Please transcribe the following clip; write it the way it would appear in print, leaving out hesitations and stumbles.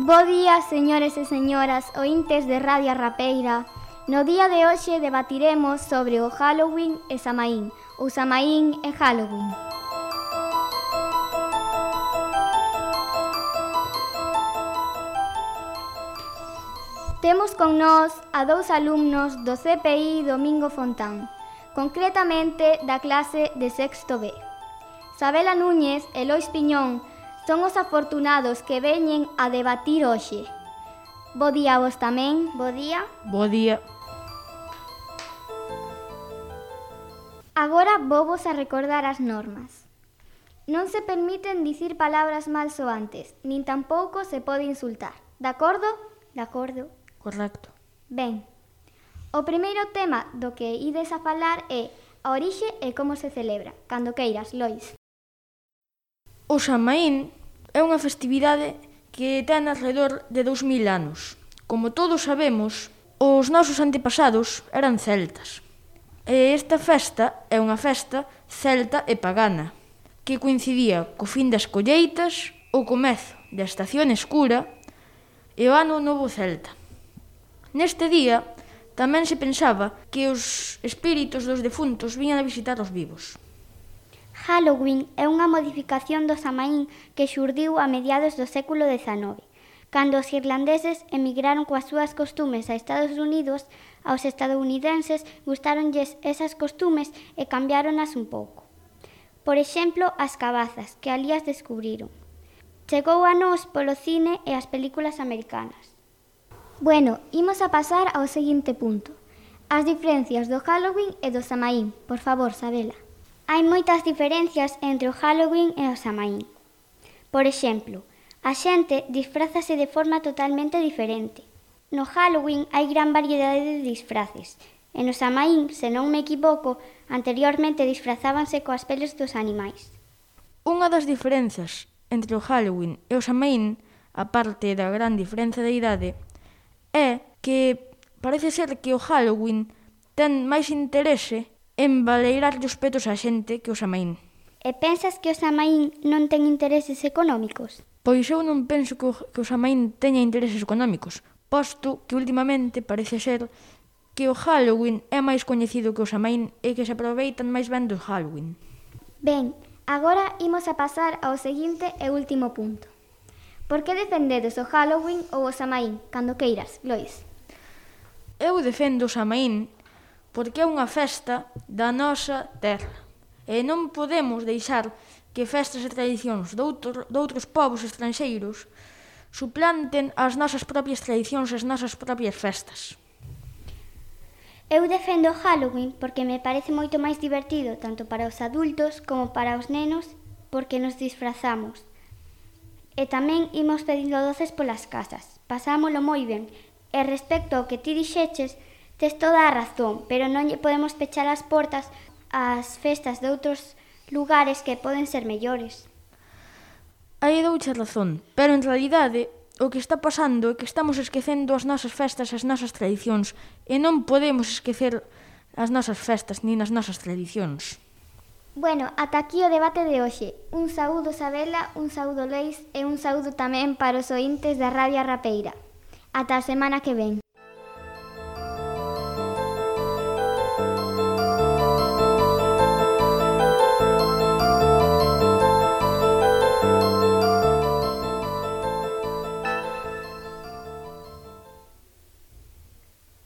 Bo día, señores e señoras, ointes de Radio Rapeira. No día de hoxe debatiremos sobre o Halloween e Samaín, ou Samaín e Halloween. Temos con nós a dous alumnos do CPI Domingo Fontán, concretamente da clase de sexto B. Sabela Núñez e Lois Piñón son os afortunados que veñen a debatir hoxe. Bo día a vos tamén. Bo día. Bo día. Agora vovos a recordar as normas. Non se permiten dicir palabras malsoantes, nin tampouco se pode insultar. De acordo? De acordo. Correcto. Ben, o primeiro tema do que ides a falar é a orixe e como se celebra. Cando queiras, Lois. O Samaín é unha festividade que ten alrededor de 2000 anos. Como todos sabemos, os nosos antepasados eran celtas. E esta festa é unha festa celta e pagana, que coincidía co fin das colleitas, o comezo da estación escura e o ano novo celta. Neste día tamén se pensaba que os espíritos dos defuntos viñan a visitar os vivos. Halloween é unha modificación do Samaín que xurdiu a mediados do século XIX, cando os irlandeses emigraron coas súas costumes a Estados Unidos. Aos estadounidenses gustáronlles esas costumes e cambiáronas un pouco. Por exemplo, as cabazas, que alí as descubriron. Chegou a nós polo cine e as películas americanas. Bueno, imos a pasar ao seguinte punto. As diferencias do Halloween e do Samaín. Por favor, Sabela. Hai moitas diferencias entre o Halloween e o Samaín. Por exemplo, a xente disfrázase de forma totalmente diferente. No Halloween hai gran variedade de disfraces, e no Samaín, se non me equivoco, anteriormente disfrazábanse coas peles dos animais. Unha das diferenzas entre o Halloween e o Samaín, aparte da gran diferenza de idade, é que parece ser que o Halloween ten máis interese en baleirar os petos á xente que o Samaín. E pensas que o Samaín non ten intereses económicos? Pois eu non penso que o Samaín teña intereses económicos, posto que últimamente parece ser que o Halloween é máis coñecido que o Samaín e que se aproveitan máis ben do Halloween. Ben, agora imos a pasar ao seguinte e último punto. Por que defendedes o Halloween ou o Samaín? Cando queiras, Lois. Eu defendo o Samaín porque é unha festa da nosa terra e non podemos deixar que festas e tradicións de outros povos estranxeiros suplanten as nosas propias tradicións e as nosas propias festas. Eu defendo o Halloween porque me parece moito máis divertido tanto para os adultos como para os nenos porque nos disfrazamos. E tamén imos pedindo doces polas casas. Pasámolo moi ben. E respecto ao que ti dixeches, tes toda a razón, pero non lle podemos pechar as portas ás festas de outros lugares que poden ser mellores. Aí douche razón, pero en realidade o que está pasando é que estamos esquecendo as nosas festas e as nosas tradicións e non podemos esquecer as nosas festas nin as nosas tradicións. Bueno, ata aquí o debate de hoxe. Un saúdo, Sabela, un saúdo, Lois, e un saúdo tamén para os ointes da Radio Rapeira. Ata a semana que ven.